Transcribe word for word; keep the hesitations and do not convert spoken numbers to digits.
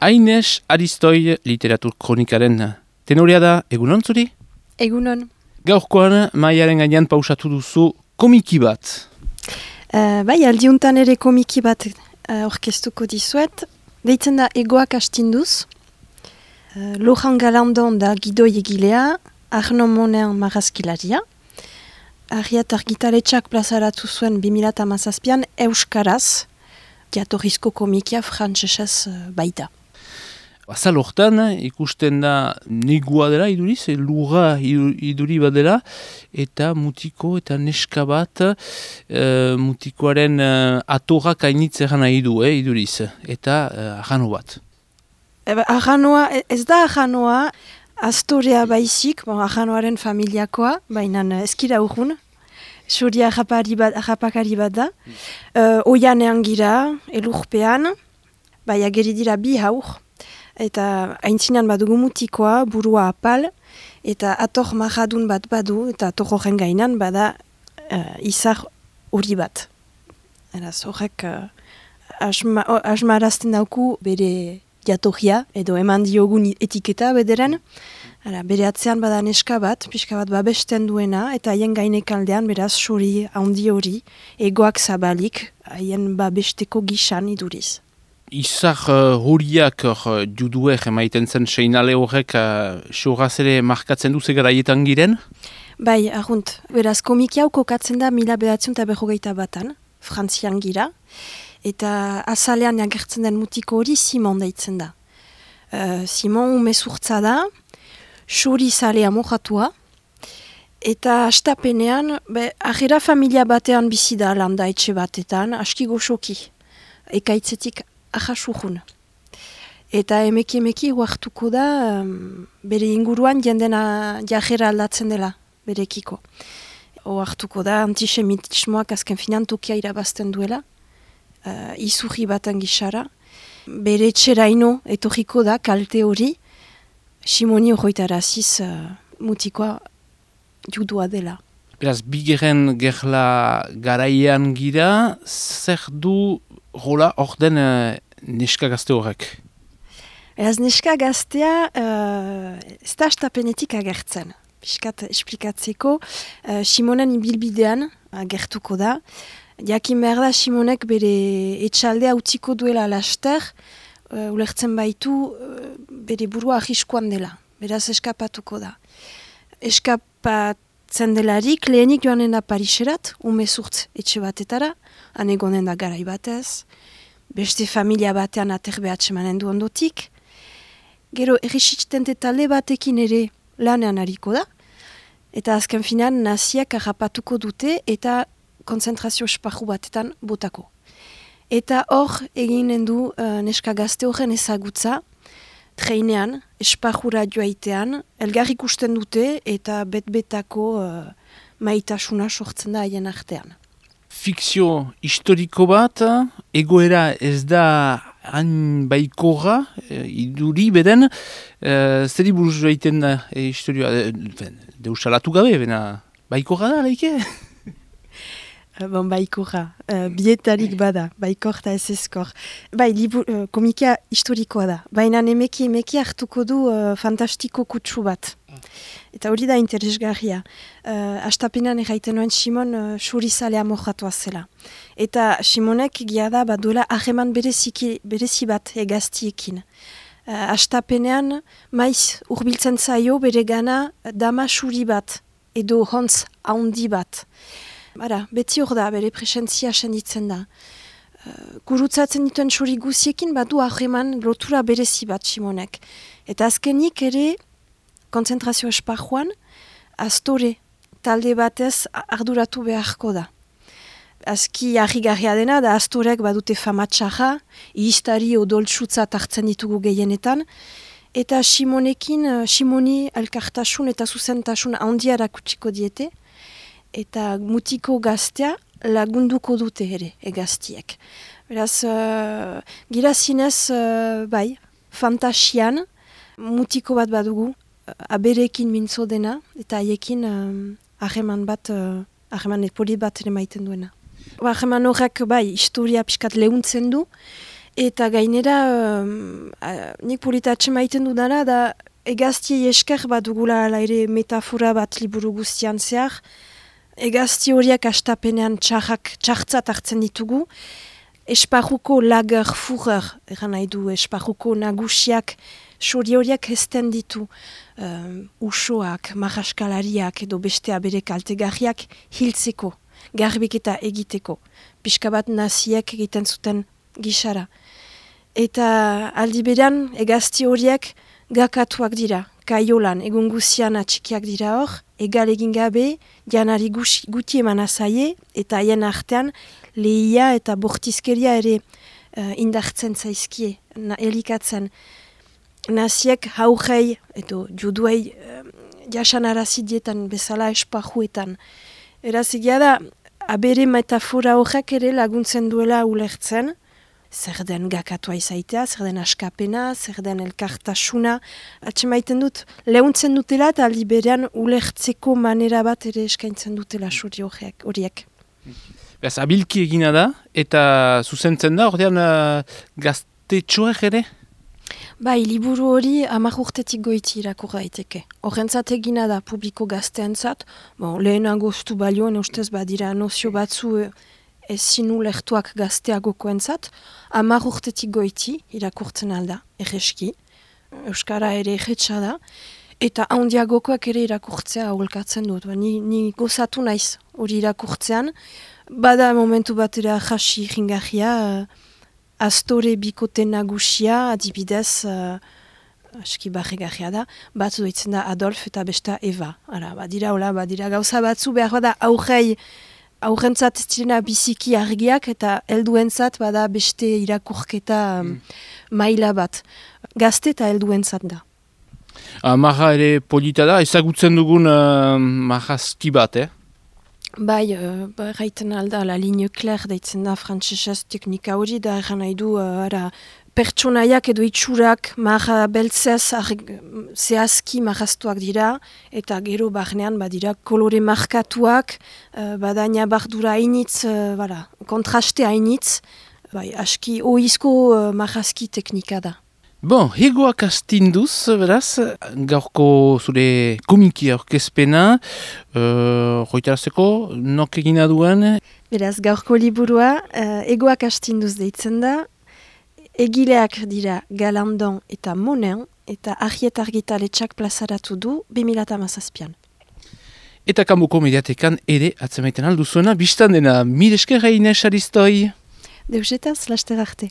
Aines Aristoi literatur kronikaren tenorea da, egunon zuri? Egunon. Gaurkoan, maiaren gainean pausatu duzu komiki bat. Uh, bai, aldiuntan ere komiki bat uh, orkestuko dizuet. Deitzen da Egoak astinduz. Uh, Laurent Galandon da gidoi egilea, Arno Monen marrazkilaria. Arriat argitaletxak plazaratu zuen bi mila hamazazpian euskaraz, jatorrizko komikia frantsesez uh, baita. Azal hortan, ikusten da negua dela iduriz, lurra iduri bat dela, eta mutiko eta neska bat, e, mutikoaren e, atorrak ainitzeran nahi du, eh, iduriz, eta e, arrano bat. Eba, arranoa, ez da arranoa, astorea baizik, bon, arranoaren familiakoa, baina eskira urrun, Suria harrapakari bat da, mm. uh, oianean gira, elurpean, bai ageri dira bi haur, eta aintzinan badugu mutikoa, burua apal, eta ator marradun bat badu, eta ator horren gainan bada uh, izar hori bat. Eraz horrek uh, asma, asmarazten dauku bere jatorria, edo eman diogun etiketa bederen. Ara, bere atzean bada neska bat, pixka bat babesten duena, eta haien gainek aldean beraz suri, handi hori, egoak zabalik, haien babesteko gisan iduriz. Izar uh, horiak uh, juduek emaiten zen seinale horrek uh, xorraz ere markatzen du zegaraietan giren? Bai, argunt. Beraz, komiki hau kokatzen da mila behatzen eta berrogeita batan, Frantzian gira, eta azalean agertzen den mutiko hori Simon deitzen da. Uh, Simon umezurtza da, xuri zalea mojatua, eta astapenean, be, ahera familia batean bizi da landa etxe batetan, aski goxoki, ekaitzetik ahasuhun. Eta emeki emeki huartuko da um, bere inguruan jendena jajera aldatzen dela berekiko. Huartuko da antisemitismoak azken finan tokia irabazten duela, uh, izurri batan gisara. Bere txeraino etorriko da kalte hori, Simoni horretaraziz uh, mutikoa judua dela. Beraz, bigeren gerla garaian gira, zer du rola hor den uh, neska gazte horrek? Beraz, neska gaztea uh, ez da astapenetik agertzen. Piskat esplikatzeko, uh, Simonen ibilbidean agertuko da. Jakin behar da Simonek bere etxaldea utziko duela laster, uh, ulertzen baitu uh, bere burua ahiskoan dela. Beraz, eskapatuko da. Eskapat Zendelarik, lehenik joanen da Pariserat, umezurtz etxe batetara, han egonen da garai batez, beste familia batean aterbe atsemanen du ondotik. Gero, errisitztente talde batekin ere lanean hariko da, eta azken finan naziak harrapatuko dute eta konzentrazio esparru batetan botako. Eta hor eginen du uh, neska gazte horren ezagutza, treinean, esparrura joaitean, elgar ikusten dute eta bet-betako uh, maitasuna sortzen da haien artean. Fikzio historiko bat, egoera ez da hain baikorra, e, iduri beden, e, zeri buruz joaiten da e, historioa, e, deusalatu gabe, bena baikorra da, leike? Bon, baikorra, uh, bietarik bada, baikorta ez ezkor. Bai, libu, uh, komikia historikoa da, baina emeki emeki hartuko du uh, fantastiko kutsu bat. Eta hori da interesgarria. Uh, Astapenan erraiten nuen Simon uh, surizalea mojatua zela. Eta Simonek egia da baduela ahreman bereziki, berezi bat egaztiekin. Uh, Astapenean maiz urbiltzen zaio bere gana dama suri bat, edo hontz haundi bat. Bara, beti hor da, bere presentzia senditzen da. Uh, gurutzatzen dituen suri guziekin badu ahreman lotura berezi bat Simonek. Eta azkenik ere, konzentrazio esparruan, astore talde batez arduratu beharko da. Azki harrigarria dena, da astorek badute famatxarra, ihistari odoltsutza hartzen ditugu gehienetan, eta Simonekin, Simoni elkartasun eta zuzentasun handia erakutsiko diete, eta mutiko gaztea lagunduko dute ere, egaztiek. Beraz, uh, gira zinez, uh, bai, fantasian, mutiko bat badugu, uh, aberekin mintzo dena, eta haiekin hageman uh, bat, hageman uh, epoli bat ere maiten duena. Hageman horrek, bai, historia piskat lehuntzen du, Eta gainera, um, uh, nik polita atxemaiten dudana, da egaztiei esker bat dugula ala ere metafora bat liburu guztian zehar, egazti horiak astapenean txarrak txartzat hartzen ditugu, esparruko lager furrer, eran nahi du, esparruko nagusiak, sori horiak hezten ditu, um, usoak, marraskalariak edo beste abere kaltegarriak hiltzeko, garbiketa egiteko, pixka bat naziek egiten zuten gisara. Eta aldi beran, egazti horiek gakatuak dira, kaiolan, egun guzian atxikiak dira hor, egal egin gabe, janari guti eman azaie, eta haien artean, lehia eta bortizkeria ere uh, indartzen zaizkie, na, elikatzen. Naziek haurrei, edo juduei, uh, jasan arazidietan bezala esparruetan. Eraz egia da, abere metafora horrek ere laguntzen duela ulertzen, zer den gakatua izaitea, zer den askapena, zer den elkartasuna. Atxemaiten dut, lehuntzen dutela eta aldi berean ulertzeko manera bat ere eskaintzen dutela suri horiek. Beaz, abilki egina da, eta zuzentzen da, ordean uh, gaztetxoek ere? Bai, liburu hori hamar urtetik goiti irakur daiteke. Horrentzat egina da publiko gazteentzat, bon, lehenago stu balioen ustez badira nozio batzu ezin ulertuak gazteagokoentzat, hamar urtetik goiti irakurtzen alda, erreski. Euskara ere erretxa da, eta handiagokoak ere irakurtzea aholkatzen dut. Ba, ni, ni gozatu naiz hori irakurtzean, bada momentu batera jasi jingarria, uh, Astore bikote nagusia, adibidez, uh, aski barregarria da, batzu doitzen da Adolf eta besta Eva. Ara, badira, hola, badira gauza batzu behar bada aurrei, aurrentzat ez direna biziki argiak eta helduentzat bada beste irakurketa um, maila bat. Gazte eta helduentzat da. Ah, marra ere polita da, ezagutzen dugun uh, marrazki bat, eh? Bai, uh, raiten alda, la ligne claire deitzen da frantsesez teknika hori, da erran nahi du, uh, ara, pertsonaiak edo itxurak marra beltzez zehazki marraztuak dira, eta gero barnean badira kolore markatuak, uh, badaina bardura hainitz, uh, bara, kontraste hainitz, bai, aski oizko uh, marrazki teknika da. Bon, hegoak astinduz, beraz, gaurko zure komiki aurkezpena, uh, joitarazteko, nok egina duen? Beraz, gaurko liburua, uh, hegoak astinduz deitzen da, egileak dira Galandon eta Monen, eta Arriet Argitaletxak plazaratu du bi mila hamazazpian. Eta kanboko mediatekan ere atzemaiten alduzuena, biztan dena, mil esker Inez Aristoi? Deusetaz, laster arte.